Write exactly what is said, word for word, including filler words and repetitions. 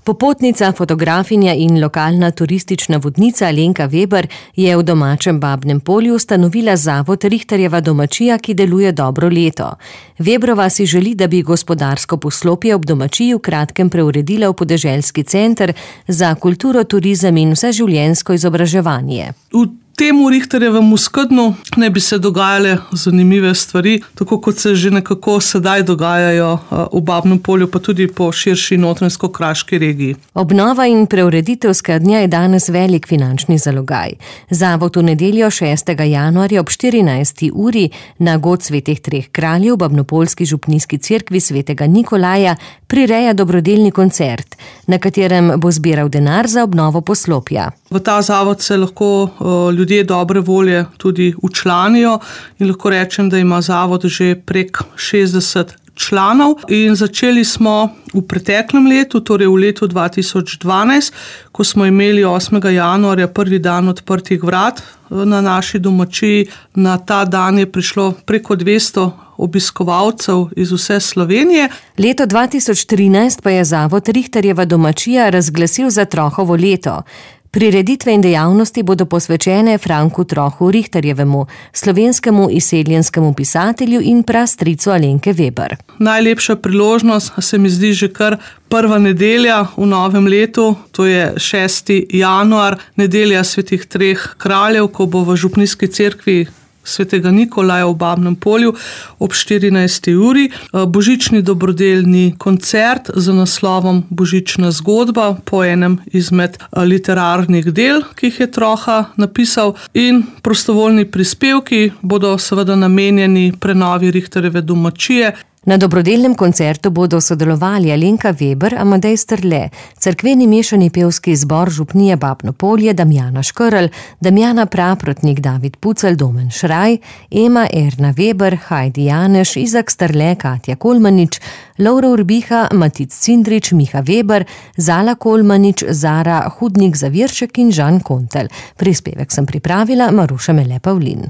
Popotnica, fotografinja in lokalna turistična vodnica Alenka Veber je v domačem Babnem Polju ustanovila zavod Rihterjeva domačija, ki deluje dobro leto. Vebrova si želi, da bi gospodarsko poslopje ob domačiji v kratkem preuredila v podeželski center za kulturo, turizem in vseživljenjsko izobraževanje. V temu Rihterjevemu skednju ne bi se dogajale zanimive stvari, tako kot se že nekako sedaj dogajajo v Babnem Polju, pa tudi po širši notranjsko-kraški regiji. Obnova in preureditev skednja je danes velik finančni zalogaj. Zavod v nedeljo šestega januarja ob štirinajsti uri na God svetih treh kraljev v babnopoljski župnijski cerkvi svetega Nikolaja prireja dobrodelni koncert, na katerem bo zbiral denar za obnovo poslopja. V ta zavod se lahko ljudje dobre volje tudi včlanijo in lahko rečem, da ima zavod že prek šestdeset članov in začeli smo v preteklem letu, torej v letu dva tisoč dvanajst, ko smo imeli osmega januarja prvi dan odprtih vrat na naši domačiji. Na ta dan je prišlo preko dvesto obiskovalcev iz vse Slovenije. Leto dva tisoč trinajst pa je zavod Rihterjeva domačija razglasil za Trohovo leto. Prireditve in dejavnosti bodo posvečene Franku Trohu Rihterjevemu, slovenskemu izseljenskemu pisatelju in prastricu Alenke Veber. Najlepša priložnost se mi zdi že kar prva nedelja v novem letu, to je šesti januar, nedelja svetih treh kraljev, ko bo v župnijski cerkvi svetega Nikolaja v Babnem Polju ob štirinajsti uri božični dobrodelni koncert z naslovom Božična zgodba po enem izmed literarnih del, ki jih je Troha napisal, in prostovoljni prispevki bodo seveda namenjeni prenovi Rihterjeve domačije. Na dobrodelnem koncertu bodo sodelovali Alenka Veber, Amadej Strle, cerkveni mešani pevski zbor župnije Babno Polje, Damjana Škrl, Damjana Praprotnik, David Pucelj, Domen Šraj, Ema Erna Veber, Heidi Janeš, Izak Strle, Katja Kolmanič, Lovro Urbiha, Matic Cindrič, Miha Veber, Zala Kolmanič, Zara Hudnik Zaviršek in Žan Kontelj. Prispevek sem pripravila Maruša Mele Pavlin.